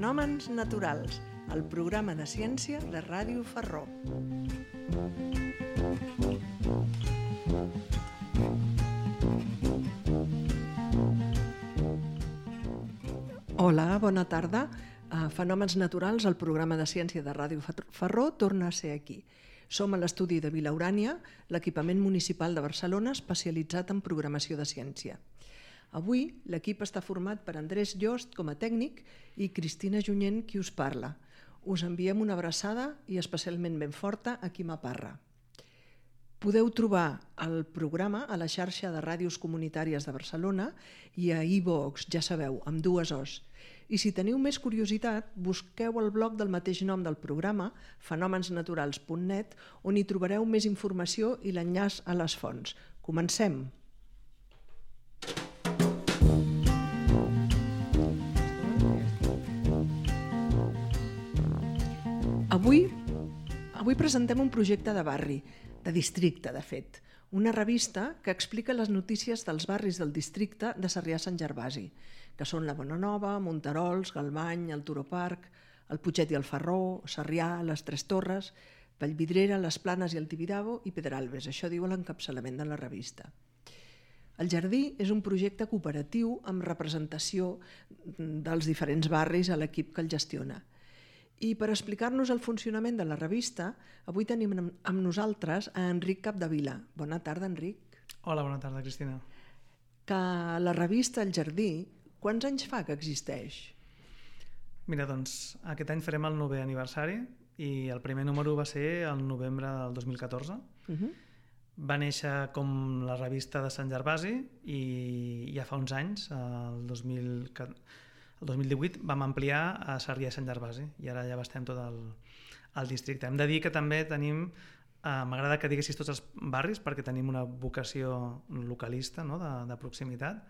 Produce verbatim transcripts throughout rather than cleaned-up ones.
Fenòmens naturals, el programa de ciència de Ràdio Ferró. Hola, bona tarda. Fenòmens naturals, el programa de ciència de Ràdio Ferró, torna a ser aquí. Som a l'estudi de Vila Urània, l'equipament municipal de Barcelona especialitzat en programació de ciència. Avui l'equip està format per Andrés Llost com a tècnic i Cristina Junyent qui us parla. Us enviem una abraçada i especialment ben forta a qui m'aparra. Podeu trobar el programa a la xarxa de ràdios comunitàries de Barcelona i a iVoox, ja sabeu, amb dues O's. I si teniu més curiositat, busqueu el blog del mateix nom del programa, fenòmens naturals punt net, on hi trobareu més informació i l'enllaç a les fonts. Comencem! Avui, avui presentem un projecte de barri, de districte, de fet, una revista que explica les notícies dels barris del districte de Sarrià-Sant Gervasi, que són la Bonanova, Monterols, Galvany, el Turoparc, el Putxet i el Ferró, Sarrià, les Tres Torres, Vallvidrera, les Planes i el Tibidabo i Pedralbes. Això diu l'encapçalament de la revista. El Jardí és un projecte cooperatiu amb representació dels diferents barris a l'equip que el gestiona. I per explicar-nos el funcionament de la revista, avui tenim amb nosaltres a Enric Capdevila. Bona tarda, Enric. Hola, bona tarda, Cristina. Que la revista El Jardí, quants anys fa que existeix? Mira, doncs, aquest any farem el novè aniversari i el primer número va ser el novembre del dos mil catorze. Uh-huh. Va néixer com la revista de Sant Gervasi i ja fa uns anys, el dos mil catorze, el dos mil divuit vam ampliar a Sarrià i Sant Gervasi i ara ja bastem tot el, el districte. Hem de dir que també tenim, eh, m'agrada que diguessis tots els barris perquè tenim una vocació localista, no? de, de proximitat,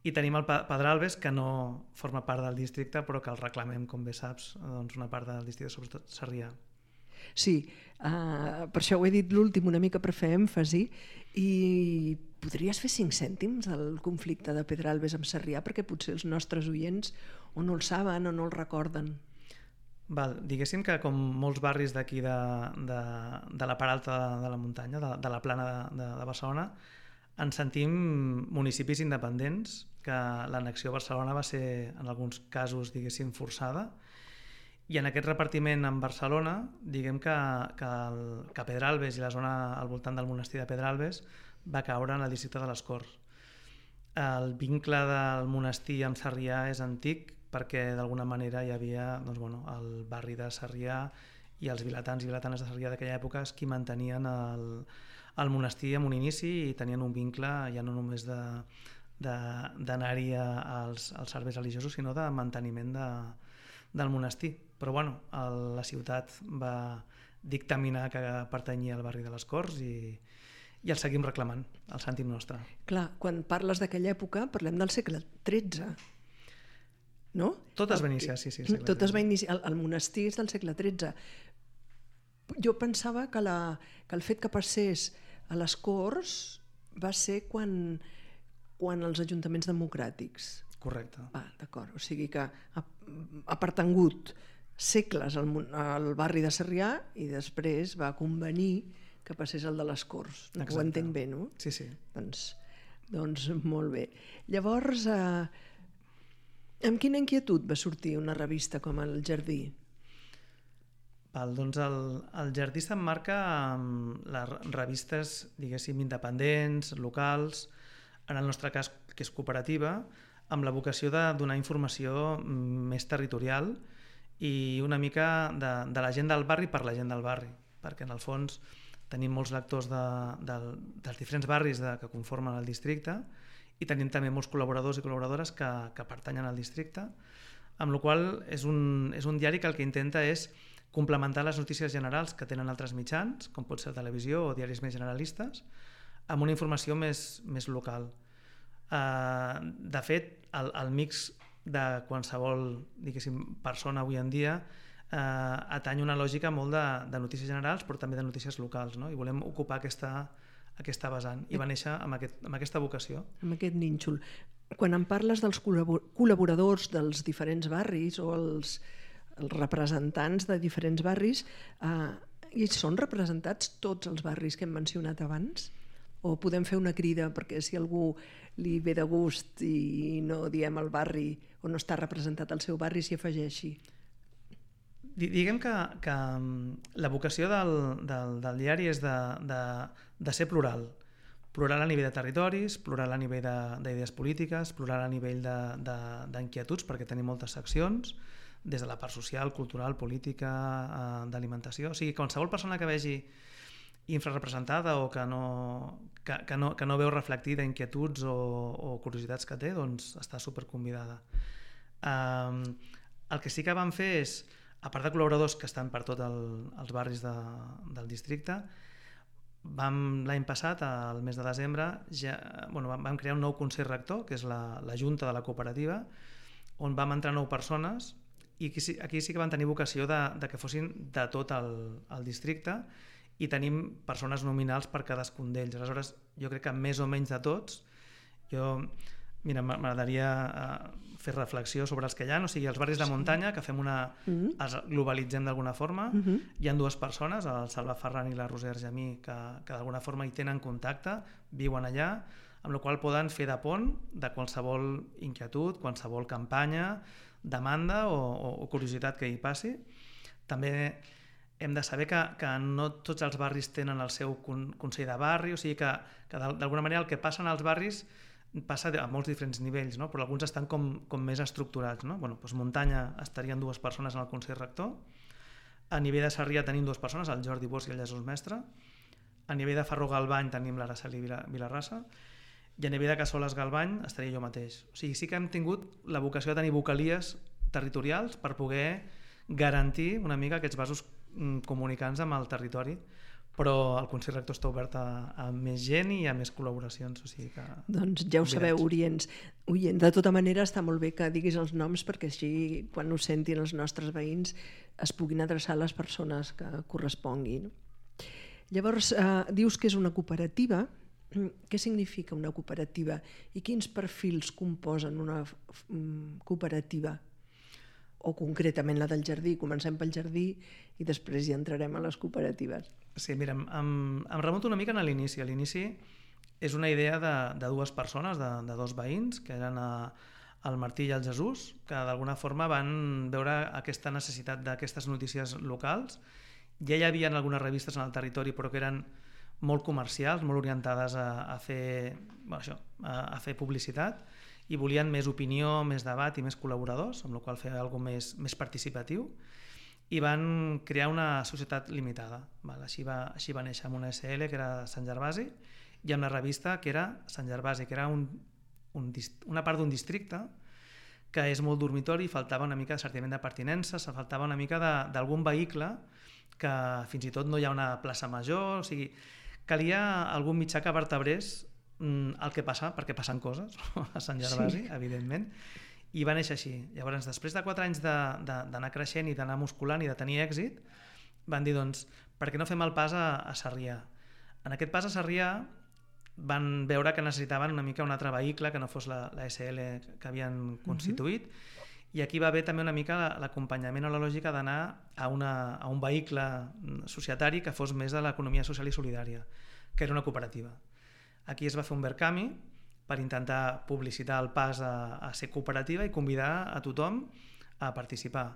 i tenim el Pedralbes que no forma part del districte però que el reclamem, com bé saps, doncs una part del districte, sobretot Sarrià. Sí, uh, per això ho he dit l'últim una mica per fer èmfasi. I podries fer cinc cèntims del conflicte de Pedralbes amb Sarrià perquè potser els nostres oients o no el saben o no el recorden. Val, diguéssim que com molts barris d'aquí de, de, de la part alta de, de la muntanya, de, de la plana de, de, de Barcelona, ens sentim municipis independents, que l'annexió a Barcelona va ser en alguns casos, diguéssim, forçada. I en aquest repartiment en Barcelona, diguem que, que, el, que Pedralbes i la zona al voltant del monestir de Pedralbes va caure en el districte de les Corts. El vincle del monestir amb Sarrià és antic perquè d'alguna manera hi havia doncs, bueno, el barri de Sarrià i els vilatans i vilatanes de Sarrià d'aquella època qui mantenien el, el monestir en un inici i tenien un vincle ja no només de, de, d'anar-hi als, als serveis religiosos sinó de manteniment de, del monestir. Però bueno, el, la ciutat va dictaminar que pertanyia al barri de les Corts i, i el seguim reclamant, el sentim nostre. Clar, quan parles d'aquella època parlem del segle tretze, no? Tot es va iniciar, sí, sí. Tot tretze. Es va iniciar, el, el monestir és del segle tretze. Jo pensava que, la, que el fet que passés a les Corts va ser quan, quan els ajuntaments democràtics. Correcte. Ah, d'acord, o sigui que ha, ha pertangut segles al, al barri de Sarrià i després va convenir que passés el de les Corts. Exacte. Ho entenc bé, no? Sí, sí. Doncs, doncs molt bé. Llavors, eh, amb quina inquietud va sortir una revista com El Jardí? Val, doncs el, el Jardí s'emmarca amb les revistes, diguéssim, independents, locals, en el nostre cas, que és cooperativa, amb la vocació de donar informació més territorial i una mica de, de la gent del barri per la gent del barri, perquè en el fons tenim molts lectors de, de, dels diferents barris de, que conformen el districte i tenim també molts col·laboradors i col·laboradores que, que pertanyen al districte, amb la qual cosa és un, és un diari que el que intenta és complementar les notícies generals que tenen altres mitjans, com pot ser televisió o diaris més generalistes, amb una informació més, més local. Uh, de fet, el, el mix de qualsevol, diguéssim, persona avui en dia eh, atany una lògica molt de, de notícies generals però també de notícies locals, no? I volem ocupar aquesta, aquesta vessant i va néixer amb, aquest, amb aquesta vocació. Amb aquest nínxol. Quan em parles dels col·laboradors dels diferents barris o els, els representants de diferents barris, eh, i són representats tots els barris que hem mencionat abans? O podem fer una crida perquè si algú li ve de gust i no diem el barri o no està representat al seu barri s'hi afegeixi? Diguem que, que la vocació del, del, del diari és de, de, de ser plural. Plural a nivell de territoris, plural a nivell d'idees polítiques, plural a nivell d'inquietuds, perquè tenim moltes seccions, des de la part social, cultural, política, d'alimentació. O sigui, qualsevol persona que vegi infrarrepresentada o que no, que, que no, que no veu reflectida inquietuds o, o curiositats que té, doncs està superconvidada. Um, el que sí que vam fer és, a part de col·laboradors que estan per tots el, els barris de, del districte, vam l'any passat, al mes de desembre, ja, bueno, vam, vam crear un nou Consell Rector, que és la, la Junta de la Cooperativa, on vam entrar nou persones i aquí, aquí sí que van tenir vocació de, de que fossin de tot el, el districte i tenim persones nominals per cadascun d'ells. Aleshores, jo crec que més o menys de tots, jo... Mira, m'agradaria fer reflexió sobre els que hi ha, o sigui, els barris de muntanya, que fem una... Mm-hmm. els globalitzem d'alguna forma. Mm-hmm. Hi ha dues persones, el Salva Ferran i la Roser Argemí, que, que d'alguna forma hi tenen contacte, viuen allà, amb la qual poden fer de pont de qualsevol inquietud, qualsevol campanya, demanda o, o, o curiositat que hi passi. També hem de saber que, que no tots els barris tenen el seu con, consell de barri, o sigui que, que d'alguna manera el que passa en els barris passa a molts diferents nivells, no? Però alguns estan com, com més estructurats. No? Bueno, doncs Muntanya estarien dues persones en el Consell Rector, a nivell de Sarrià tenim dues persones, el Jordi Bosch i el Jesús Mestre, a nivell de Farró Galbany tenim l'Araceli Vilarrasa, i a nivell de Cassoles Galbany estaria jo mateix. O sigui, sí que hem tingut la vocació de tenir vocalies territorials per poder garantir una mica aquests vasos comunicants amb el territori, però el Consell Rector està obert a, a més gent i a més col·laboracions. O sigui que... Doncs ja ho sabeu, oients. Oient, de tota manera està molt bé que diguis els noms perquè així quan ho sentin els nostres veïns es puguin adreçar a les persones que corresponguin. Llavors, eh, dius que és una cooperativa. Què significa una cooperativa i quins perfils composen una cooperativa? O concretament la del jardí, comencem pel jardí i després ja entrarem a les cooperatives. Sí, mira, em, em remunto una mica a l'inici. A l'inici és una idea de, de dues persones, de, de dos veïns, que eren a, el Martí i el Jesús, que d'alguna forma van veure aquesta necessitat d'aquestes notícies locals. Ja hi havia algunes revistes en el territori, però que eren molt comercials, molt orientades a, a, fer, bueno, això, a, a fer publicitat, i volien més opinió, més debat i més col·laboradors, amb la qual cosa fer alguna cosa més, més participatiu, i van crear una societat limitada. Val? Així, va, així va néixer amb una S L, que era Sant Gervasi, i amb la revista, que era Sant Gervasi, que era un, un, una part d'un districte que és molt dormitori, faltava una mica de sentiment de pertinença, faltava una mica d'algun vehicle, que fins i tot no hi ha una plaça major, o sigui, calia algun mitjà que vertebrés el que passa, perquè passen coses a Sant Gervasi, sí. Evidentment, i va néixer així. Llavors, després de quatre anys d'anar creixent i d'anar musculant i de tenir èxit, van dir, doncs, per què no fem el pas a, a Sarrià? En aquest pas a Sarrià van veure que necessitaven una mica un altre vehicle que no fos la, la S L que havien constituït, uh-huh. I aquí va haver també una mica l'acompanyament o la lògica d'anar a, una, a un vehicle societari que fos més de l'economia social i solidària, que era una cooperativa. Aquí es va fer un Verkami per intentar publicitar el pas a, a ser cooperativa i convidar a tothom a participar.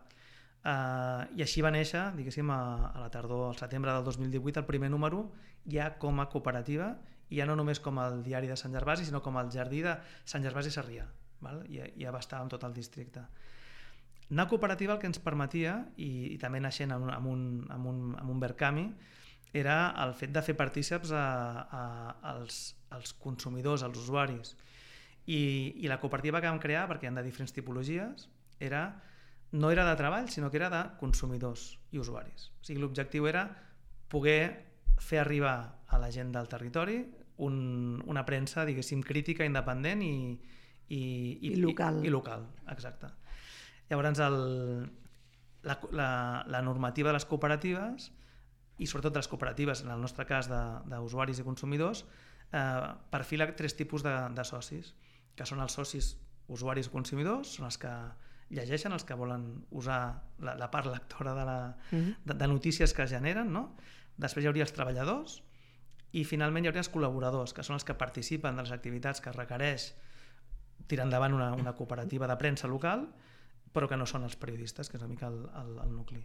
Uh, I així va néixer, diguéssim, a, a la tardor, al setembre del dos mil divuit, el primer número ja com a cooperativa, i ja no només com el diari de Sant Gervasi, sinó com el jardí de Sant Gervasi i Sarrià. Val? I ja va estar en tot el districte. Anar cooperativa el que ens permetia, i, i també naixent amb un, amb un, amb un, amb un Verkami, era el fet de fer partíceps a, a, als, als consumidors, als usuaris. I, I la cooperativa que vam crear, perquè hi ha de diferents tipologies, era, no era de treball, sinó que era de consumidors i usuaris. O sigui, l'objectiu era poder fer arribar a la gent del territori un, una premsa, diguéssim, crítica, independent i, i, i, I local. I, i local, exacte. Llavors, el, la, la, la normativa de les cooperatives i sobretot de les cooperatives, en el nostre cas d'usuaris i consumidors, eh, perfila tres tipus de, de socis, que són els socis usuaris o consumidors, són els que llegeixen, els que volen usar la, la part lectora de, la, uh-huh. de, de notícies que es generen, no? Després hi hauria els treballadors i finalment hi hauria els col·laboradors, que són els que participen de les activitats que requereix tirar endavant una, una cooperativa de premsa local, però que no són els periodistes, que és una mica el, el, el nucli.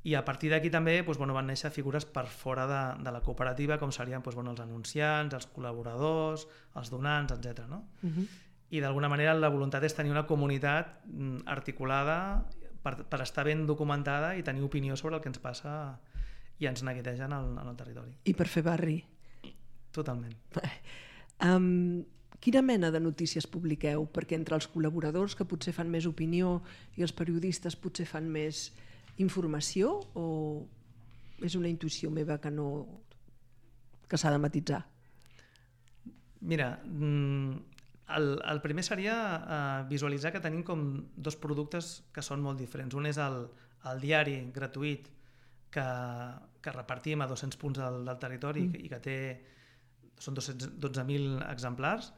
I a partir d'aquí també doncs, bueno, van néixer figures per fora de, de la cooperativa, com serien doncs, bueno, els anunciants, els col·laboradors, els donants, etcètera. No? Uh-huh. I d'alguna manera la voluntat és tenir una comunitat articulada per, per estar ben documentada i tenir opinió sobre el que ens passa i ens neguitegen en, en el territori. I per fer barri. Totalment. Um, quina mena de notícies publiqueu? Perquè entre els col·laboradors, que potser fan més opinió, i els periodistes potser fan més informació, o és una intuïció meva que no que s'ha de matitzar? Mira, el, el primer seria uh, visualitzar que tenim com dos productes que són molt diferents. Un és el, el diari gratuït que, que repartim a dos-cents punts del, del territori mm. i que té són dos-cents dotze mil exemplars.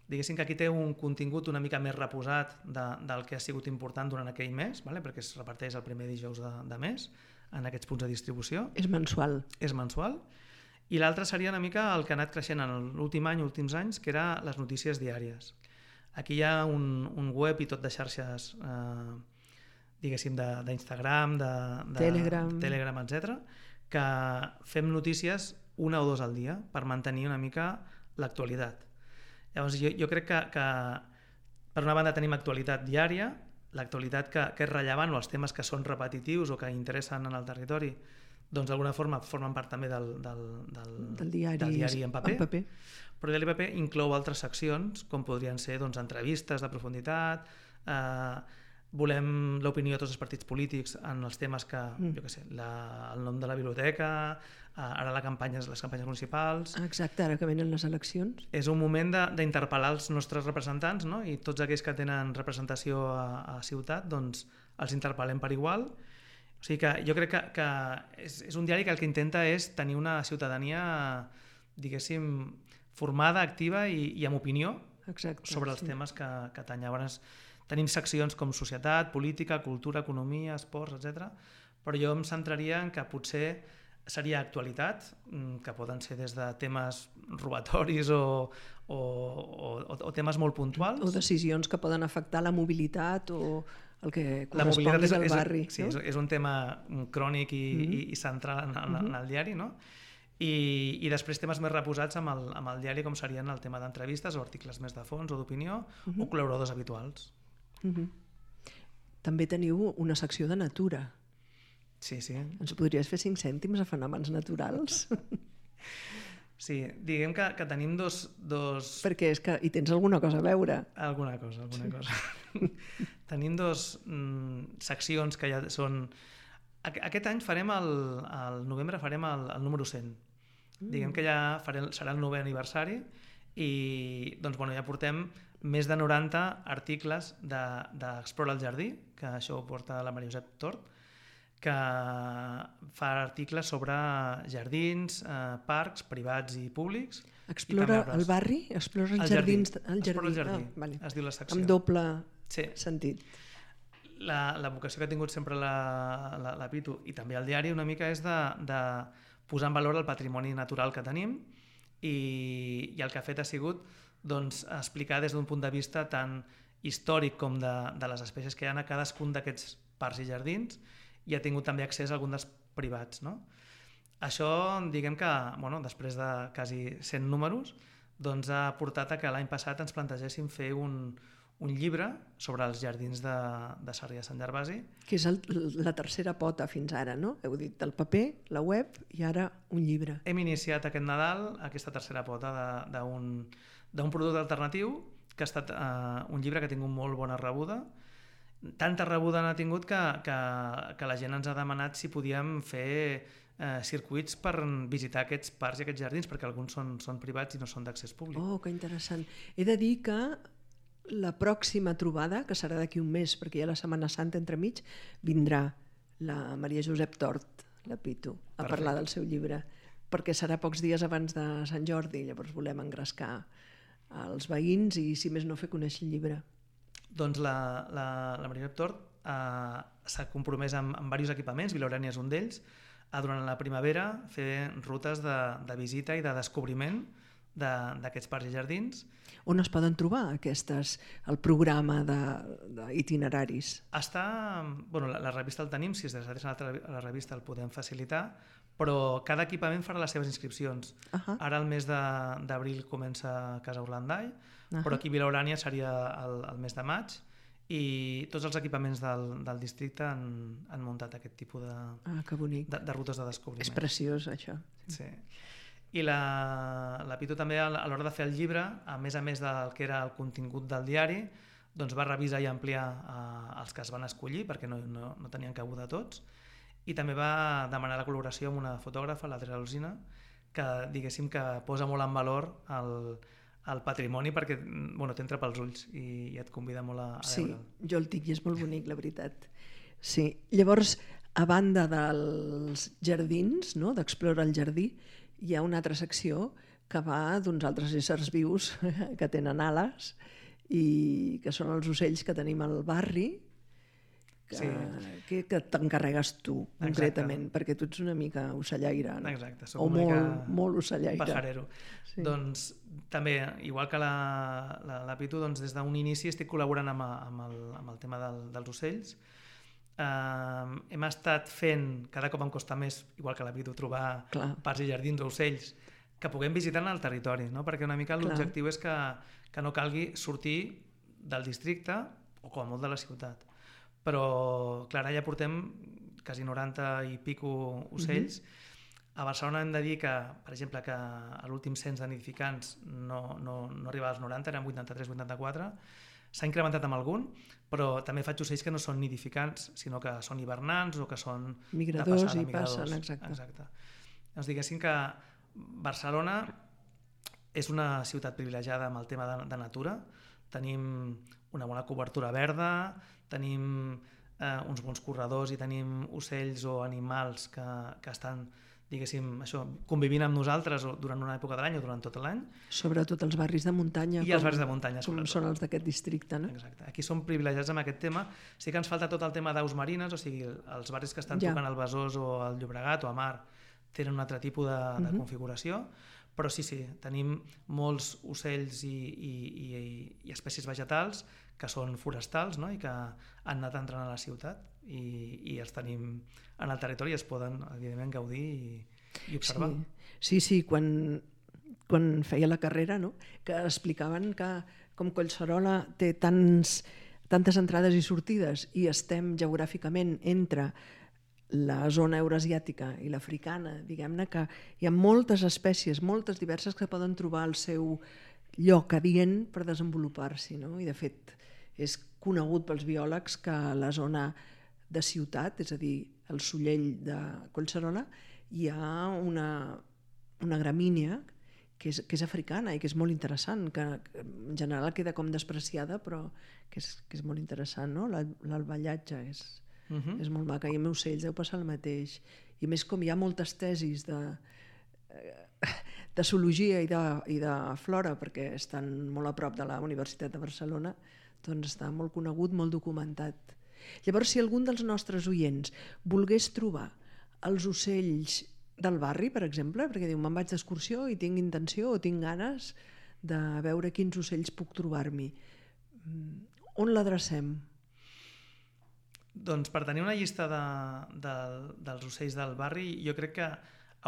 Diguéssim que aquí té un contingut una mica més reposat de, del que ha sigut important durant aquell mes, vale? Perquè es reparteix el primer dijous de, de mes en aquests punts de distribució. És mensual. És mensual. I l'altre seria una mica el que ha anat creixent en l'últim any, últims anys, que era les notícies diàries. Aquí hi ha un, un web i tot de xarxes, eh, diguéssim, d'Instagram, de, de, de Telegram, Telegram etcètera, que fem notícies una o dos al dia per mantenir una mica l'actualitat. Llavors, jo, jo crec que, que per una banda tenim actualitat diària, l'actualitat que, que és rellevant o els temes que són repetitius o que interessen en el territori, doncs d'alguna forma formen part també del, del, del, del, diari, del diari en paper, en paper. Però el diari en paper inclou altres seccions, com podrien ser doncs, entrevistes de profunditat, eh, volem l'opinió de tots els partits polítics en els temes que, mm. jo què sé, la, el nom de la biblioteca, eh, ara la campanya, les campanyes municipals... Exacte, ara que venen les eleccions. És un moment d'interpel·lar els nostres representants, no? I tots aquells que tenen representació a, a ciutat, doncs els interpel·lem per igual. O sigui que jo crec que, que és, és un diari que el que intenta és tenir una ciutadania, diguéssim, formada, activa i, i amb opinió Exacte, sobre els sí. temes que, que tant. Llavors tenim seccions com societat, política, cultura, economia, esports, etcètera. Però jo em centraria en que potser seria actualitat, que poden ser des de temes robatoris o, o, o, o temes molt puntuals. O decisions que poden afectar la mobilitat o el que la mobilitat és, al barri. És, no? sí, és un tema crònic i, mm-hmm. i, i central en, en, en el diari, no? I, i després temes més reposats amb el, amb el diari, com serien el tema d'entrevistes o articles més de fons o d'opinió, mm-hmm. o col·laboradors habituals. Mm-hmm. També teniu una secció de natura. Sí, sí. Ens podries fer cinc cèntims a fenòmens naturals? Sí, diguem que, que tenim dos, dos... Perquè és que hi tens alguna cosa a veure. Alguna cosa, alguna sí. cosa. Tenim dos mm, seccions que ja són... Aquest any farem, el, el novembre farem el, el número cent. Mm. Diguem que ja farem, serà el novè aniversari i doncs, bueno, ja portem més de noranta articles d'Explora de, el Jardí, que això ho porta la Maria Josep Tort, que fa articles sobre jardins, eh, parcs privats i públics. Explora i el barri? Explora els el jardins? Jardí. El jardí. Explora el jardí, ah, vale. es diu la secció. Amb doble sí. sentit. La, la vocació que ha tingut sempre la, la, la Pitu i també el diari una mica és de, de posar en valor el patrimoni natural que tenim i, i el que ha fet ha sigut doncs, explicar des d'un punt de vista tant històric com de, de les espècies que hi ha a cadascun d'aquests parcs i jardins i ha tingut també accés a algun dels privats. No? Això, diguem que, bueno, després de quasi cent números, doncs ha portat a que l'any passat ens plantegéssim fer un, un llibre sobre els jardins de, de Sarrià de Sant Gervasi. Que és el, la tercera pota fins ara, no? Heu dit el paper, la web i ara un llibre. Hem iniciat aquest Nadal aquesta tercera pota d'un producte alternatiu que ha estat eh, un llibre que ha tingut molt bona rebuda. Tanta rebuda n'ha tingut que, que, que la gent ens ha demanat si podíem fer eh, circuits per visitar aquests parcs i aquests jardins, perquè alguns són, són privats i no són d'accés públic. Oh, que interessant. He de dir que la pròxima trobada, que serà d'aquí un mes, perquè hi ha la Setmana Santa entremig, vindrà la Maria Josep Tort, la Pitu, a Perfecte. Parlar del seu llibre, perquè serà pocs dies abans de Sant Jordi, llavors volem engrescar als veïns i, si més no, fer conèixer el llibre. Doncs la, la, la Maria Tort eh, s'ha compromès amb, amb diversos equipaments, Vilaurània és un d'ells, a durant la primavera fer rutes de, de visita i de descobriment d'aquests parcs i jardins. On es poden trobar aquestes, el programa d'itineraris? Està, bueno, la, la revista el tenim, si es decideix a la revista el podem facilitar, però cada equipament farà les seves inscripcions. Uh -huh. Ara el mes d'abril comença Casa Orlandai, uh -huh. però aquí Vilaurània seria el, el mes de maig, i tots els equipaments del, del districte han, han muntat aquest tipus de, ah, que bonic. de, de rutes de descobriment. És preciós, això. Sí. I la, la Pitu també, a l'hora de fer el llibre, a més a més del que era el contingut del diari, doncs va revisar i ampliar eh, els que es van escollir, perquè no, no, no tenien cabuda tots, i també va demanar la col·laboració amb una fotògrafa, l'Adriana Alsina, que diguéssim que posa molt en valor el, el patrimoni, perquè bueno, t'entra pels ulls i, i et convida molt a, a sí, veure'l. Sí, jo el tinc i és molt bonic, la veritat. Sí. Llavors, a banda dels jardins, no?, d'Explora el jardí, hi ha una altra secció que va d'uns altres éssers vius que tenen ales i que són els ocells que tenim al barri, que, sí. que, que t'encarregues tu, concretament, Exacte. Perquè tu ets una mica ocellaire, no? Exacte, soc o una molt, mica molt ocellaire. Pajarero. Sí. Doncs també, igual que la, la, la Pitu, doncs des d'un inici estic col·laborant amb, amb, el, amb el tema del, dels ocells. Uh, hem estat fent, cada cop em costa més, igual que la Pitu, trobar Clar. parcs i jardins o ocells que puguem visitar en el territori, no? Perquè una mica l'objectiu és que, que no calgui sortir del districte o com a molt de la ciutat. Però, clar, ja portem quasi noranta i pico ocells. Uh-huh. A Barcelona hem de dir que, per exemple, que a l'últim cens de nidificants no, no, no arribava als noranta, eren vuitanta-tres vuitanta-quatre. S'ha incrementat amb algun, però també faig ocells que no són nidificants, sinó que són hivernants o que són migradors de passada, i migradors. passen, exacte. exacte. Doncs diguéssim que Barcelona és una ciutat privilegiada amb el tema de, de natura. Tenim una bona cobertura verda, tenim eh, uns bons corredors i tenim ocells o animals que, que estan, diguéssim, això, convivint amb nosaltres durant una època de l'any o durant tot l'any. Sobretot els barris de muntanya. I com, els barris de muntanya, com sobretot. Són els d'aquest districte, no? Exacte. Aquí som privilegiats amb aquest tema. Sí que ens falta tot el tema d'aus marines, o sigui, els barris que estan ja. tocant al Besòs o al Llobregat o a Mar tenen un altre tipus de, de uh-huh. configuració, però sí, sí, tenim molts ocells i, i, i, i espècies vegetals que són forestals, no?, i que han anat entrant a la ciutat i, i els tenim en el territori i es poden, evidentment, gaudir i, i observar. Sí, sí, sí, quan, quan feia la carrera, no?, que explicaven que com Collserola té tants, tantes entrades i sortides i estem geogràficament entre la zona euroasiàtica i l'africana, diguem-ne que hi ha moltes espècies, moltes diverses que poden trobar el seu lloc adient per desenvolupar-s'hi, no? I de fet és conegut pels biòlegs que a la zona de ciutat, és a dir, el Sollell de Collserola, hi ha una, una gramínia que és, que és africana i que és molt interessant, que en general queda com despreciada, però que és, que és molt interessant, no? L'alballatge és... Uh-huh. És molt maca, i amb ocells deu passar el mateix, i més com hi ha moltes tesis de, de zoologia i de, i de flora, perquè estan molt a prop de la Universitat de Barcelona, doncs està molt conegut, molt documentat. Llavors, si algun dels nostres oients volgués trobar els ocells del barri, per exemple, perquè diu, me'n vaig d'excursió i tinc intenció o tinc ganes de veure quins ocells puc trobar-m'hi, on l'adrecem? Doncs per tenir una llista de, de, dels ocells del barri, jo crec que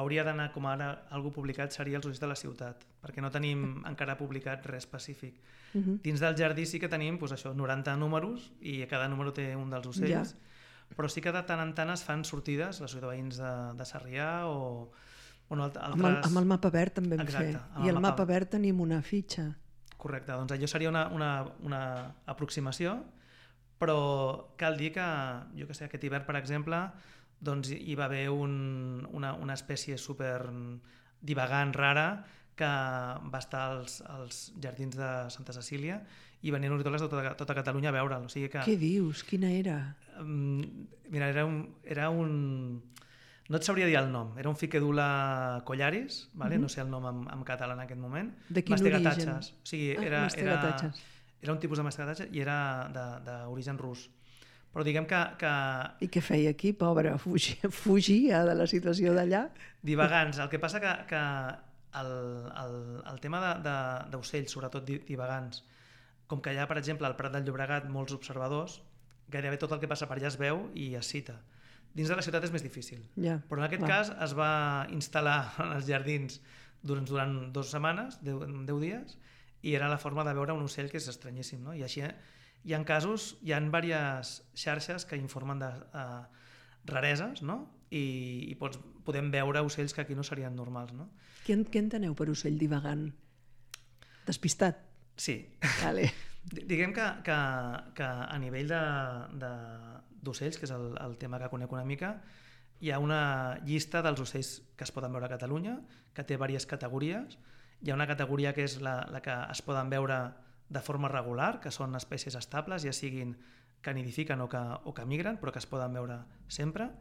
hauria d'anar, com ara algú publicat, seria els ocells de la ciutat, perquè no tenim encara publicat res específic. Uh-huh. Dins del jardí sí que tenim doncs això, noranta números i cada número té un dels ocells, ja. Però sí que de tant en tant es fan sortides, la sortida de veïns de, de Sarrià o... Bueno, altres... amb, el, amb el mapa verd també vam fer, i el al mapa... mapa verd tenim una fitxa. Correcte, doncs allò seria una, una, una aproximació, però cal dir que, jo que sé, aquest hivern, per exemple, doncs hi va haver un, una, una espècie super divagant, rara, que va estar als, als jardins de Santa Cecília i venien ornitòlegs de tota, tota Catalunya a veure'l. O sigui que, què dius? Quina era? Um, mira, era un, era un... no et sabria dir el nom, era un Ficedula collaris, vale? Uh-huh. No sé el nom en, en català en aquest moment. De quin origen? Mastegatatxes. O sigui, era, ah, era, era un tipus de mastegatatxes i era d'origen rus. Però diguem que, que... I què feia aquí, pobre? Fugia, fugia de la situació d'allà? Divagants. El que passa que, que el, el, el tema d'ocells, sobretot divagants, com que hi ha, per exemple, al Prat del Llobregat molts observadors, gairebé tot el que passa per allà es veu i es cita. Dins de la ciutat és més difícil. Ja, però en aquest clar. cas es va instal·lar en els jardins durant, durant dues setmanes, deu, deu dies, i era la forma de veure un ocell que és estranyíssim, no? I així hi ha casos, hi ha diverses xarxes que informen de uh, rareses, no? I, i pots, podem veure ocells que aquí no serien normals, no? Què, què enteneu per ocell divagant? Despistat? Sí. Vale. Diguem que, que, que a nivell de, de, d'ocells, que és el, el tema que conec una mica, hi ha una llista dels ocells que es poden veure a Catalunya, que té diverses categories. Hi ha una categoria que és la, la que es poden veure de forma regular, que són espècies estables, ja siguin que nidifiquen o que, o que migren, però que es poden veure sempre.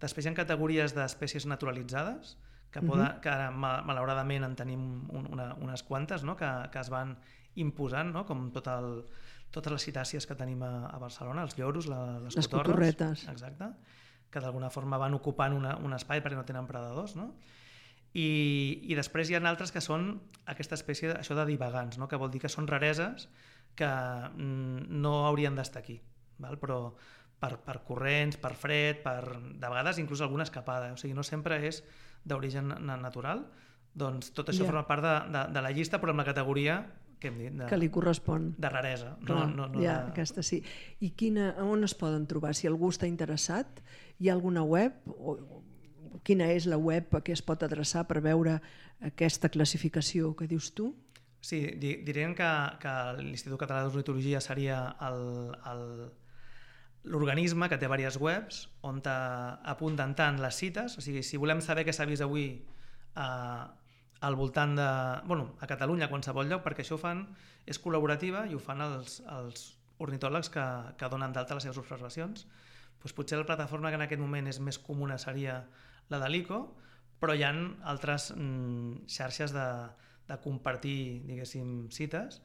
Després hi ha categories d'espècies naturalitzades, que, poden, uh-huh. que ara, malauradament, en tenim un, una, unes quantes, no? que, que es van imposant, no? Com tot el, totes les citàcies que tenim a, a Barcelona, els lloros, la, les, les cotorres, cotorretes, exacte, que d'alguna forma van ocupant una, un espai perquè no tenen predadors, no? I, i després hi ha altres que són aquesta espècie, això de divagants, no? Que vol dir que són rareses que mm, no haurien d'estar aquí, val? Però per, per corrents, per fred, per, de vegades inclús alguna escapada, o sigui, no sempre és d'origen natural, doncs tot això yeah. forma part de, de, de la llista, però amb la categoria que hem dit, de, que li correspon. De raresa. Clar, no, no, no ja, de... aquesta sí. I quina, on es poden trobar? Si algú està interessat, hi ha alguna web? O, quina és la web a què es pot adreçar per veure aquesta classificació que dius tu? Sí, di, diríem que, que l'Institut Català d'Ornitologia seria l'organisme que té diverses webs on apunten tant les cites, o sigui, si volem saber què s'ha vist avui a eh, al voltant de... Bueno, a Catalunya, a qualsevol lloc, perquè això ho fan, és col·laborativa i ho fan els, els ornitòlegs que, que donen d'alta les seves observacions. Pues potser la plataforma que en aquest moment és més comuna seria la de l'I C O, però hi ha altres mm, xarxes de, de compartir, diguéssim, cites,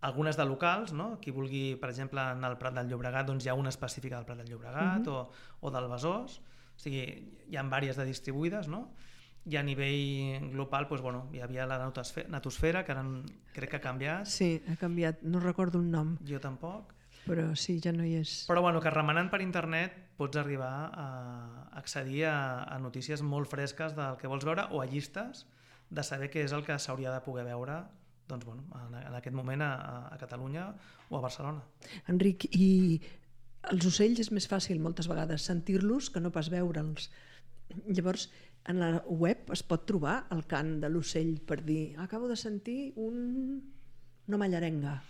algunes de locals, no? Qui vulgui, per exemple, en el Prat del Llobregat, doncs hi ha una específica del Prat del Llobregat uh-huh. o, o del Besòs, o sigui, hi ha diverses de distribuïdes, no? I a nivell global doncs, bueno, hi havia la natosfera, que ara crec que ha canviat. Sí, ha canviat, no recordo el nom. Jo tampoc. Però sí, ja no hi és. Però bueno, que remenant per internet pots arribar a accedir a, a notícies molt fresques del que vols veure o a llistes de saber què és el que s'hauria de poder veure doncs, bueno, en, en aquest moment a, a Catalunya o a Barcelona. Enric, i els ocells és més fàcil moltes vegades sentir-los que no pas veure'ls. Llavors, en la web es pot trobar el cant de l'ocell per dir acabo de sentir un... una mallarenga.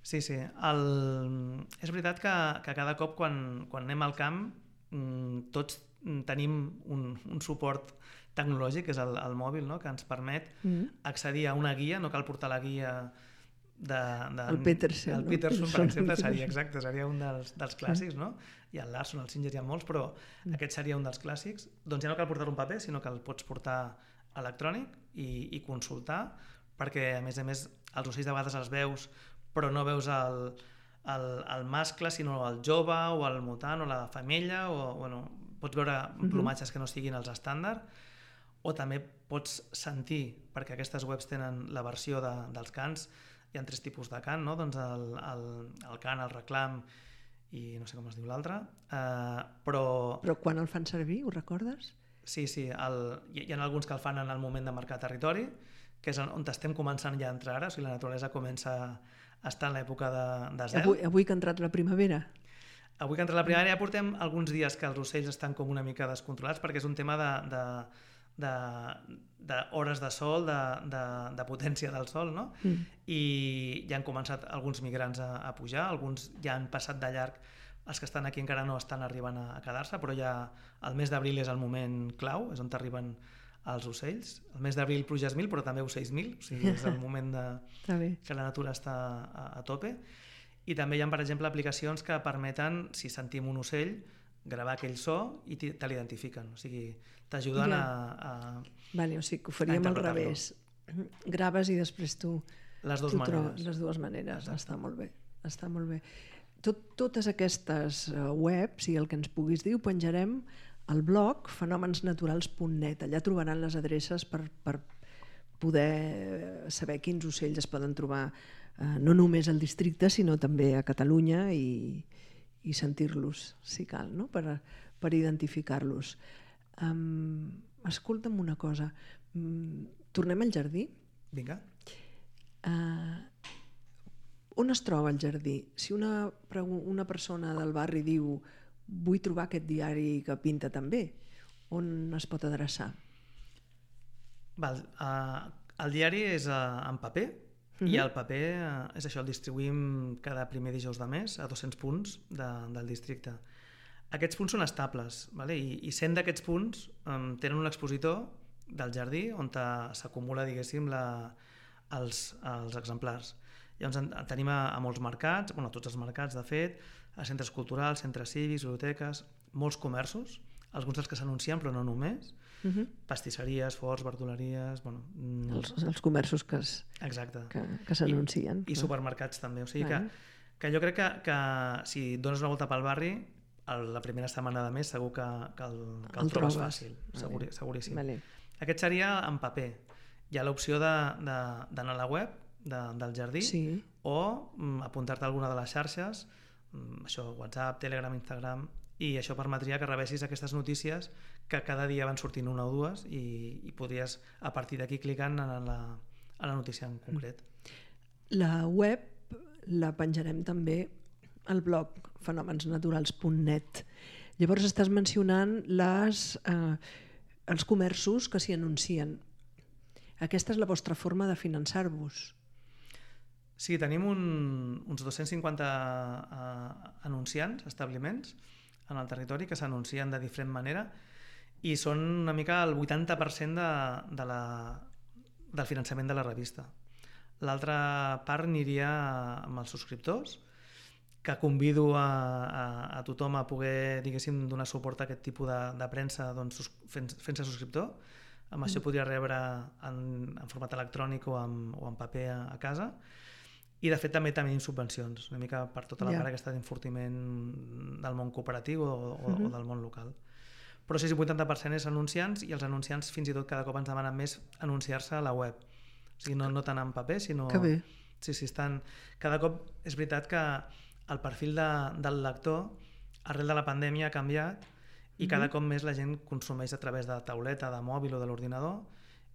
Sí, sí. El... És veritat que, que cada cop quan, quan anem al camp tots tenim un, un suport tecnològic, que és el, el mòbil, no? Que ens permet mm. accedir a una guia, no cal portar la guia de, de, el Peterson, el no? Peterson, per exemple, seria exacte, seria un dels, dels clàssics, no? Hi ha el Larson, el Singer, hi ha molts, però mm. aquest seria un dels clàssics. Doncs ja no cal portar un paper, sinó que el pots portar electrònic i, i consultar, perquè a més a més els ocells de vegades els veus, però no veus el, el, el mascle, sinó el jove o el mutant o la femella, o bueno, pots veure plomatges mm-hmm. que no siguin els estàndard, o també pots sentir, perquè aquestes webs tenen la versió de, dels cants, hi ha tres tipus de cant, no? Doncs el, el, el cant, el reclam i no sé com es diu l'altre, uh, però... Però quan el fan servir, ho recordes? Sí, sí, el, hi, hi ha alguns que el fan en el moment de marcar territori, que és on estem començant ja a entrar ara, o sigui, la naturalesa comença a estar en l'època de, de zel. Avui, avui que ha entrat la primavera? Avui que ha entrat la primavera ja portem alguns dies que els ocells estan com una mica descontrolats, perquè és un tema de... de d'hores de, de sol, de, de, de potència del sol, no? Mm. I ja han començat alguns migrants a, a pujar, alguns ja han passat de llarg, els que estan aquí encara no estan arribant a, a quedar-se, però ja el mes d'abril és el moment clau, és on arriben els ocells. El mes d'abril pluges mil, però també ocells mil, o sigui, és el moment de, que la natura està a, a tope. I també hi ha, per exemple, aplicacions que permeten, si sentim un ocell, gravar aquell so i te l'identifiquen, o sigui, t'ajuden Ja. a, a... Vale, o sigui que ho faríem al interpretar-lo. revés. Graves i després tu... Les dues tu trobes maneres. les dues maneres. Exacte. Està molt bé. Està molt bé. Tot, totes aquestes uh, webs i el que ens puguis dir ho penjarem al blog fenomensnaturals punt net. Allà trobaran les adreces per, per poder saber quins ocells es poden trobar uh, no només al districte sinó també a Catalunya i, i sentir-los si cal, no? per, per identificar-los. Um, escolta'm una cosa. Um, tornem al jardí? Vinga. Uh, on es troba el jardí? Si una, una persona del barri diu vull trobar aquest diari que pinta també, on es pot adreçar? Val, uh, el diari és uh, en paper uh-huh. i el paper uh, és això, el distribuïm cada primer dijous de mes a dos-cents punts de, del districte. Aquests punts són estables, vale? I, i cent d'aquests punts um, tenen un expositor del jardí on s'acumula, diguéssim, la, els, els exemplars. Llavors en, en tenim a, a molts mercats, bueno, a tots els mercats, de fet, a centres culturals, centres cívics, biblioteques, molts comerços, alguns dels que s'anuncien, però no només, uh-huh. pastisseries, forns, verduleries... Bueno, mm... els, els comerços que, es, Exacte. que, que s'anuncien. I, i supermercats també. O sigui bueno. que, que jo crec que, que si dones una volta pel barri, el, la primera setmana de mes segur que, que el, que el, el trobes fàcil, vale. segur, seguríssim. Vale. Aquest seria en paper. Hi ha l'opció d'anar de, a la web de, del jardí sí. o mm, apuntar-te a alguna de les xarxes, mm, això, WhatsApp, Telegram, Instagram, i això permetria que rebessis aquestes notícies que cada dia van sortint una o dues i, i podries a partir d'aquí clicant en la, a la notícia en concret. La web la penjarem també al blog fenomensnaturals punt net. Llavors estàs mencionant les, eh, els comerços que s'hi anuncien. Aquesta és la vostra forma de finançar-vos. Sí, tenim un, uns dos-cents cinquanta uh, anunciants, establiments, en el territori que s'anuncien de diferent manera i són una mica el vuitanta per cent de, de la, del finançament de la revista. L'altra part aniria amb els subscriptors, que convido a, a, a tothom a poder, diguéssim, donar suport a aquest tipus de, de premsa doncs, fent, fent-se subscriptor. Amb mm. això podria rebre en, en format electrònic o en, o en paper a, a casa. I de fet també tenim subvencions, una mica per tota la yeah. part aquesta d'enfortiment del món cooperatiu o, o, uh-huh. o del món local. Però sí, el vuitanta per cent és anunciants i els anunciants fins i tot cada cop ens demanen més anunciar-se a la web. O sigui, no, no tant en paper, sinó... Que bé. Sí, sí, estan... Cada cop és veritat que el perfil de, del lector arrel de la pandèmia ha canviat i uh-huh. cada cop més la gent consumeix a través de tauleta, de mòbil o de l'ordinador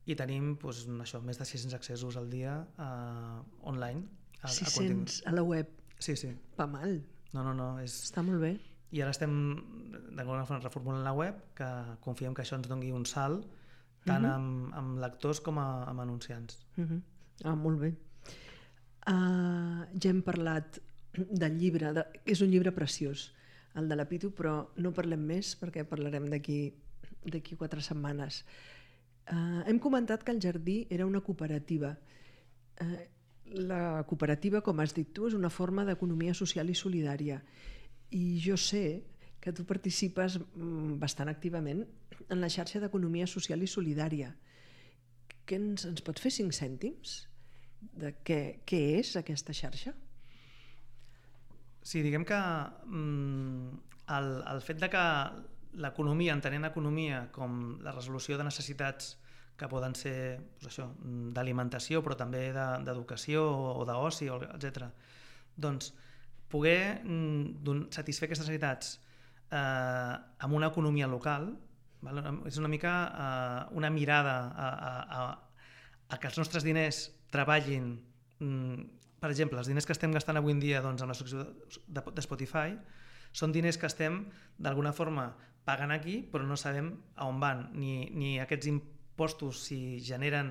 i tenim doncs, això, més de sis-cents accessos al dia uh, online. A, sis-cents a, a la web. Sí, sí. Va mal. No, no, no. És... Està molt bé. I ara estem d'alguna forma reformulant la web, que confiem que això ens doni un salt tant uh-huh. amb, amb lectors com a, amb anunciants. Uh-huh. Ah, molt bé. Uh, ja hem parlat del llibre, de... és un llibre preciós, el de la Pitu, però no parlem més perquè parlarem d'aquí d'aquí quatre setmanes. Uh, hem comentat que el jardí era una cooperativa. Uh, La cooperativa, com has dit tu, és una forma d'economia social i solidària. I jo sé que tu participes bastant activament en la xarxa d'economia social i solidària. Què ens, ens pots fer cinc cèntims de què, què és aquesta xarxa? Sí, diguem que mm, el, el fet de que l'economia, entenent economia com la resolució de necessitats que poden ser doncs això, d'alimentació, però també d'educació o d'oci, etcètera. Doncs poder mm, satisfer aquestes necessitats eh, amb una economia local, val? És una mica eh, una mirada a, a, a, a que els nostres diners treballin, mm, per exemple, els diners que estem gastant avui en dia doncs, amb la subscripció de, de Spotify són diners que estem d'alguna forma pagant aquí, però no sabem a on van, ni, ni aquests impostos postos si generen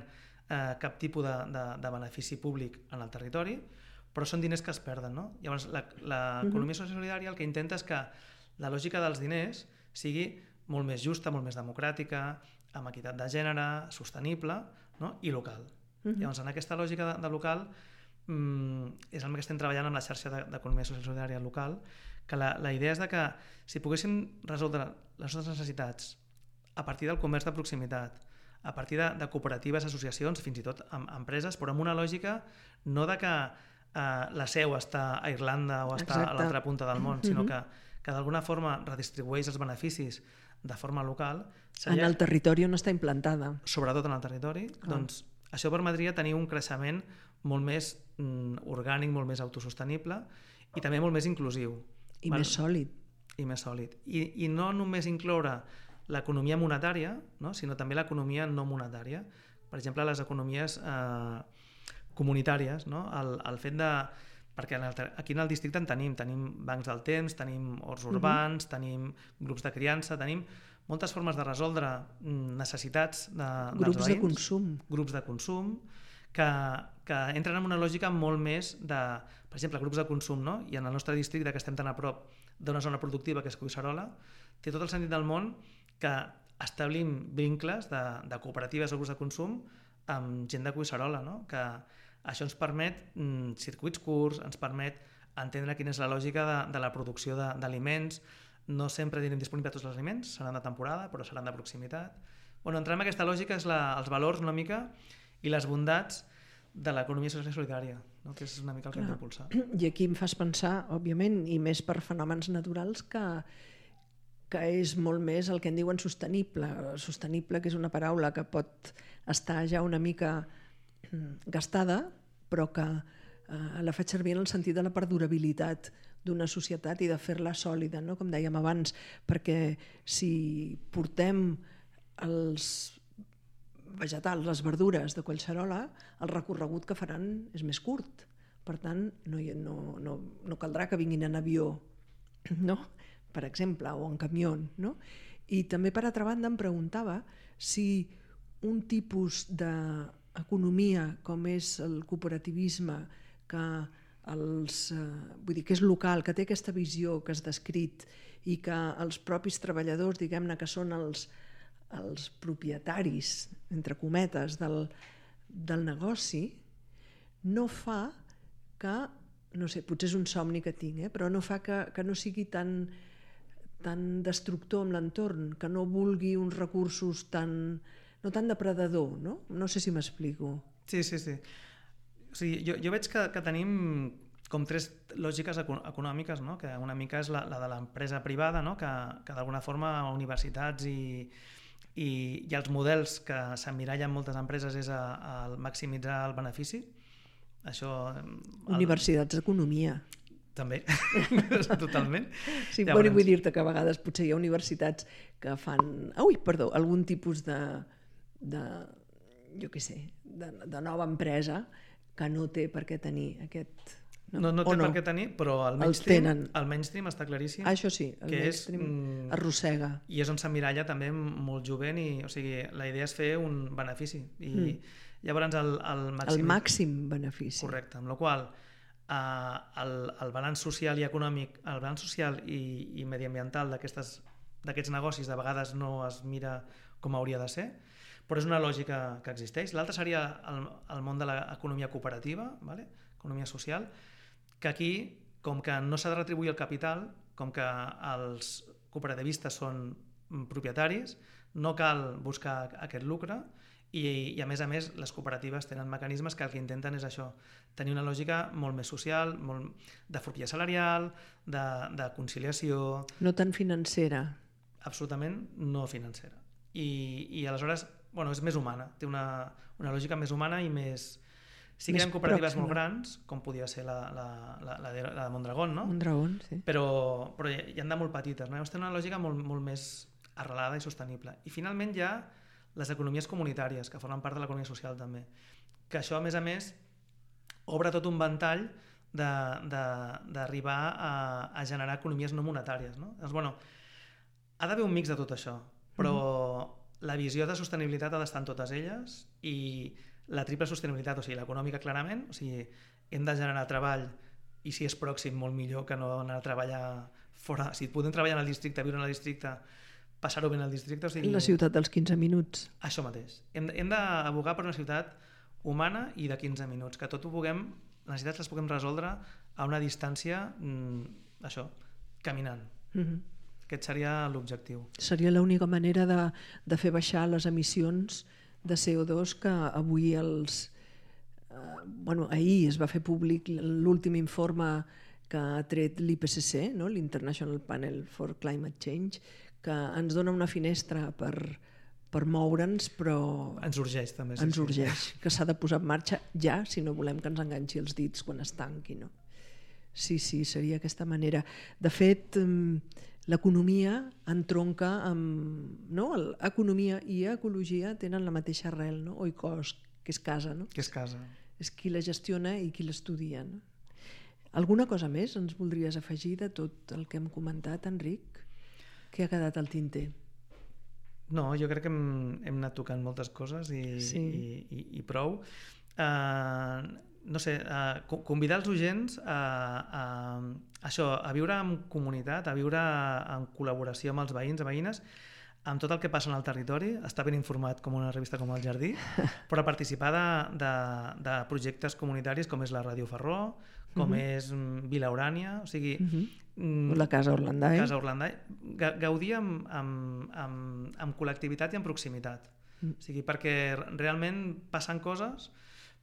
eh, cap tipus de, de, de benefici públic en el territori, però són diners que es perden, no? Llavors, l'economia uh-huh. social solidària el que intenta és que la lògica dels diners sigui molt més justa, molt més democràtica, amb equitat de gènere, sostenible, no? I local. Uh-huh. Llavors, en aquesta lògica de, de local mm, és el que estem treballant amb la xarxa d'economia social solidària local, que la, la idea és de que si poguéssim resoldre les nostres necessitats a partir del comerç de proximitat, a partir de, de cooperatives, associacions, fins i tot amb empreses, però amb una lògica no de que eh, la seu està a Irlanda o està Exacte. a l'altra punta del món, sinó que, que d'alguna forma redistribueix els beneficis de forma local. Seria, en el territori on està implantada. Sobretot en el territori. Ah. Doncs això permetria tenir un creixement molt més mm, orgànic, molt més autosostenible i també molt més inclusiu. I val? més sòlid. I més sòlid. I, i no només incloure l'economia monetària, no? sinó també l'economia no monetària. Per exemple, les economies eh, comunitàries, no? el, el fet de... Perquè en el, aquí en el districte en tenim, tenim bancs del temps, tenim horts urbans, uh-huh. tenim grups de criança, tenim moltes formes de resoldre necessitats de, grups dels veïns. de consum. Grups de consum, que, que entren en una lògica molt més de, per exemple, grups de consum, no? I en el nostre districte, que estem tan a prop d'una zona productiva que és Collserola, té tot el sentit del món que establim vincles de, de cooperatives o grups de consum amb gent de Collserola, no? Que això ens permet mm, circuits curts, ens permet entendre quina és la lògica de, de la producció d'aliments. No sempre tindrem disponible tots els aliments, seran de temporada, però seran de proximitat. Bueno, entrem en aquesta lògica, és la, els valors una mica i les bondats de l'economia social i solidària, no? Que és una mica el que hem d'impulsar. I aquí em fas pensar, òbviament, i més per fenòmens naturals, que, que és molt més el que en diuen sostenible. Sostenible, que és una paraula que pot estar ja una mica gastada, però que eh, la faig servir en el sentit de la perdurabilitat d'una societat i de fer-la sòlida, no? Com dèiem abans, perquè si portem els vegetals, les verdures de Collserola, el recorregut que faran és més curt. Per tant, no, no, no, no caldrà que vinguin en avió, no? Per exemple, o en camió. No? I també, per altra banda, em preguntava si un tipus de economia com és el cooperativisme, que, els, eh, vull dir, que és local, que té aquesta visió que has descrit i que els propis treballadors, diguem-ne, que són els, els propietaris, entre cometes, del, del negoci, no fa que, no sé, potser és un somni que tinc, eh, però no fa que, que no sigui tan, tan destructor amb l'entorn, que no vulgui uns recursos tan... no tan depredador, no? No sé si m'explico. Sí, sí, sí. O sigui, jo, jo veig que, que tenim com tres lògiques econòmiques, no? Que una mica és la, la de l'empresa privada, no? Que, que d'alguna forma universitats i, i, i els models que s'emmirallen moltes empreses és a, a maximitzar el benefici. Això... El... Universitats d'economia. També, totalment. Sí, bueno, vull dir-te que a vegades potser hi ha universitats que fan, ui, perdó, algun tipus de, de jo què sé, de, de nova empresa que no té per què tenir aquest... No, no, no té no? per què tenir, però el mainstream, el mainstream està claríssim. Ah, això sí, el mainstream és, arrossega. I és on s'emmiralla també molt jovent, i, o sigui, la idea és fer un benefici. I mm. llavors el, el màxim... El màxim benefici. Correcte, amb la qual cosa Uh, el, el balanç social i econòmic, el balanç social i, i mediambiental d'aquests negocis de vegades no es mira com hauria de ser, però és una lògica que existeix. L'altre seria el, el món de l'economia cooperativa, vale? Economia social, que aquí, com que no s'ha de retribuir el capital, com que els cooperativistes són propietaris, no cal buscar aquest lucre. I, i a més a més les cooperatives tenen mecanismes que el que intenten és això, tenir una lògica molt més social, molt de forquilla salarial, de, de conciliació... No tan financera. Absolutament no financera. I, i aleshores, bueno, és més humana, té una, una lògica més humana i més... Sí que hi ha cooperatives pròxima. Molt grans, com podia ser la, la, la, la, de, la de Mondragón, no? Mondragón, sí. Però, però hi ha de molt petites, no? Llavors té una lògica molt, molt més arrelada i sostenible. I finalment hi ha les economies comunitàries, que formen part de l'economia social també, que això a més a més obre tot un ventall d'arribar a, a generar economies no monetàries, no? Llavors, bueno, ha d'haver un mix de tot això, però mm-hmm. la visió de sostenibilitat ha d'estar en totes elles, i la triple sostenibilitat, o sigui, l'econòmica clarament, o sigui, hem de generar treball, i si és pròxim molt millor que no anar a treballar fora, si podem treballar en el districte, viure en el districte, passar-ho bé en el districte. O sigui, la ciutat dels quinze minuts. Això mateix. Hem, hem d'abogar per una ciutat humana i de quinze minuts, que tot ho puguem, les necessitats les puguem resoldre a una distància, mm, això, caminant. Mm-hmm. Aquest seria l'objectiu. Seria l'única manera de, de fer baixar les emissions de C O dos que avui els... Eh, bueno, ahir es va fer públic l'últim informe que ha tret l'I P C C, no? l'International Panel for Climate Change, que ens dona una finestra per, per moure'ns, però ens urgeix també. Sí, ens sí. urgeix, que s'ha de posar en marxa ja si no volem que ens enganxi els dits quan es tanqui. No? Sí, sí, seria aquesta manera. De fet, l'economia entronca amb... No? Economia i ecologia tenen la mateixa arrel, no? Oikos, que és casa. No? Que és casa. És qui la gestiona i qui l'estudia. No? Alguna cosa més ens voldries afegir de tot el que hem comentat, Enric? Què ha quedat al tinter? No, jo crec que hem, hem anat tocant moltes coses i, sí. i, i, i prou. Uh, no sé, uh, convidar els oients a, a, a això, a viure en comunitat, a viure en col·laboració amb els veïns i veïnes, amb tot el que passa en el territori, estar ben informat com una revista com El Jardí, però participar de, de, de projectes comunitaris com és la Ràdio Ferró, com uh-huh. és Vila Urània, o sigui... Uh-huh. La Casa Orlandai. Casa Orlandai. Gaudir amb, amb, amb, amb col·lectivitat i amb proximitat. Uh-huh. O sigui, perquè realment passen coses,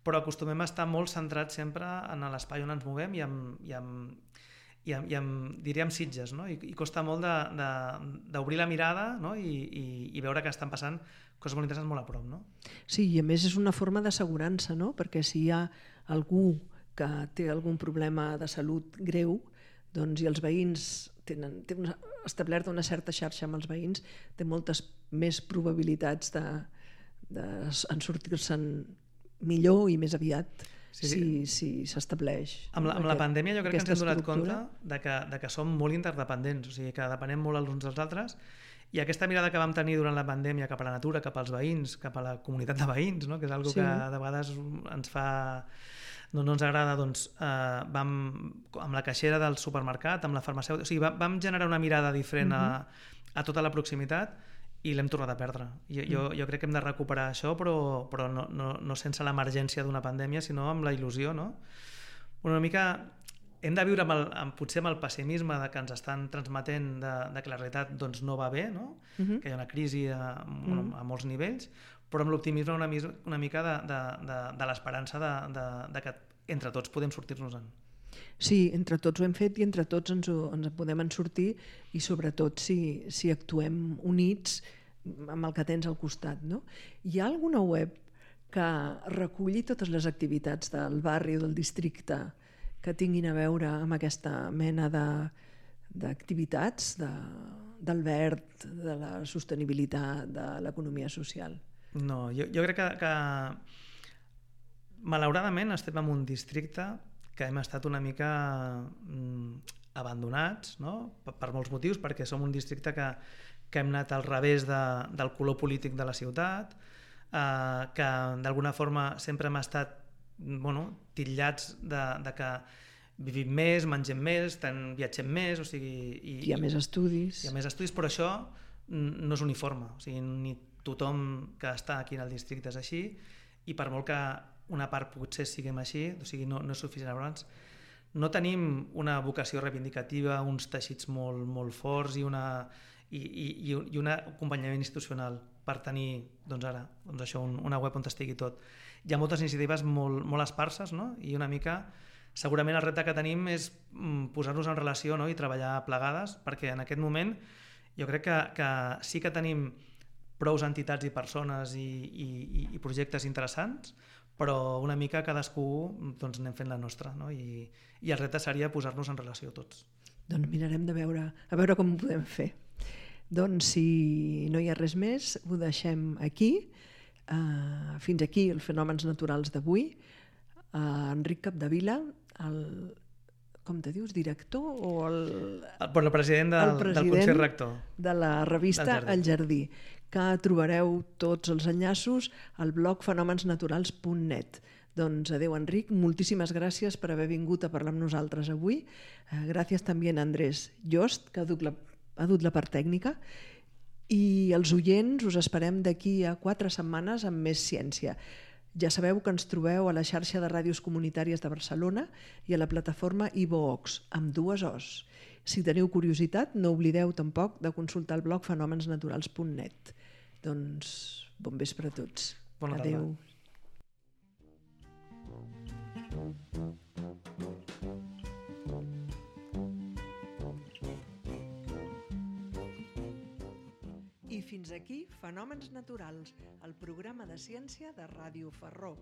però acostumem a estar molt centrats sempre en l'espai on ens movem i amb, i amb, i amb, i amb diríem, sitges, no? I, i costa molt d'obrir la mirada, no? I, i, i veure que estan passant coses molt interessants molt a prop. No? Sí, i a més és una forma d'assegurança, no? Perquè si hi ha algú que té algun problema de salut greu, doncs, i els veïns tenen, tenen una, establerta una certa xarxa amb els veïns, té moltes més probabilitats de, de en sortir-se'n millor i més aviat sí, sí. si s'estableix. Si amb, la, amb aquest, la pandèmia jo crec que ens hem donat compte de que, de que som molt interdependents, o sigui que depenem molt els uns dels altres, i aquesta mirada que vam tenir durant la pandèmia cap a la natura, cap als veïns, cap a la comunitat de veïns, no? Que és una cosa sí. que de vegades ens fa... no, no ens agrada, doncs uh, vam, amb la caixera del supermercat, amb la farmacèutica, o sigui, vam, vam generar una mirada diferent uh-huh. a, a tota la proximitat i l'hem tornat a perdre. Jo, jo, jo crec que hem de recuperar això, però, però no, no, no sense l'emergència d'una pandèmia, sinó amb la il·lusió, no? Una mica hem de viure amb el, amb, potser amb el pessimisme de que ens estan transmetent de, de que la realitat doncs, no va bé, no? Uh-huh. Que hi ha una crisi a, bueno, uh-huh. a molts nivells, però amb l'optimisme una, una mica de, de, de, de l'esperança de, de, de que entre tots podem sortir-nos-en. Sí, entre tots ho hem fet i entre tots ens, ho, ens en podem en sortir i sobretot si, si actuem units amb el que tens al costat. No? Hi ha alguna web que reculli totes les activitats del barri o del districte que tinguin a veure amb aquesta mena de, d'activitats de, del verd, de la sostenibilitat, de l'economia social? No, jo, jo crec que, que malauradament estem en un districte que hem estat una mica mm, abandonats, no? per, per molts motius, perquè som un districte que, que hem anat al revés de, del color polític de la ciutat, eh, que d'alguna forma sempre hem estat bueno, titllats de, de que vivim més, mengem més, ten, viatgem més, o sigui... I, hi ha més estudis. Hi ha més estudis, però això no és uniforme, o sigui, ni tothom que està aquí en el districte és així, i per molt que una part potser siguem així, o sigui, no, no és suficient. Abans, no tenim una vocació reivindicativa, uns teixits molt, molt forts i, una, i, i, i un acompanyament institucional per tenir, doncs ara, doncs això, un, una web on estigui tot. Hi ha moltes iniciatives molt, molt esparses, no? I una mica, segurament el repte que tenim és posar-nos en relació, no? I treballar plegades, perquè en aquest moment jo crec que, que sí que tenim prous entitats i persones i, i, i projectes interessants, però una mica cadascú doncs, anem fent la nostra, no? I, i el repte seria posar-nos en relació tots. Doncs mirarem de veure, a veure com ho podem fer. Doncs si no hi ha res més, ho deixem aquí. Uh, fins aquí els fenòmens naturals d'avui. Uh, Enric Capdevila, el, com te dius, director o el... el, el president, del, el president del Consell Rector de la revista El Jardí, que trobareu tots els enllaços al blog fenòmensnaturals punt net. Doncs adeu, Enric, moltíssimes gràcies per haver vingut a parlar amb nosaltres avui. Uh, gràcies també a Andrés Jost, que ha dut la, ha dut la part tècnica, i els oients us esperem d'aquí a quatre setmanes amb més ciència. Ja sabeu que ens trobeu a la xarxa de ràdios comunitàries de Barcelona i a la plataforma iVoox, amb dues Os. Si teniu curiositat, no oblideu tampoc de consultar el blog fenòmens naturals punt net. Doncs bon vespre a tots. Bona tarda. Adéu. I fins aquí Fenòmens Naturals, el programa de ciència de Ràdio Ferró.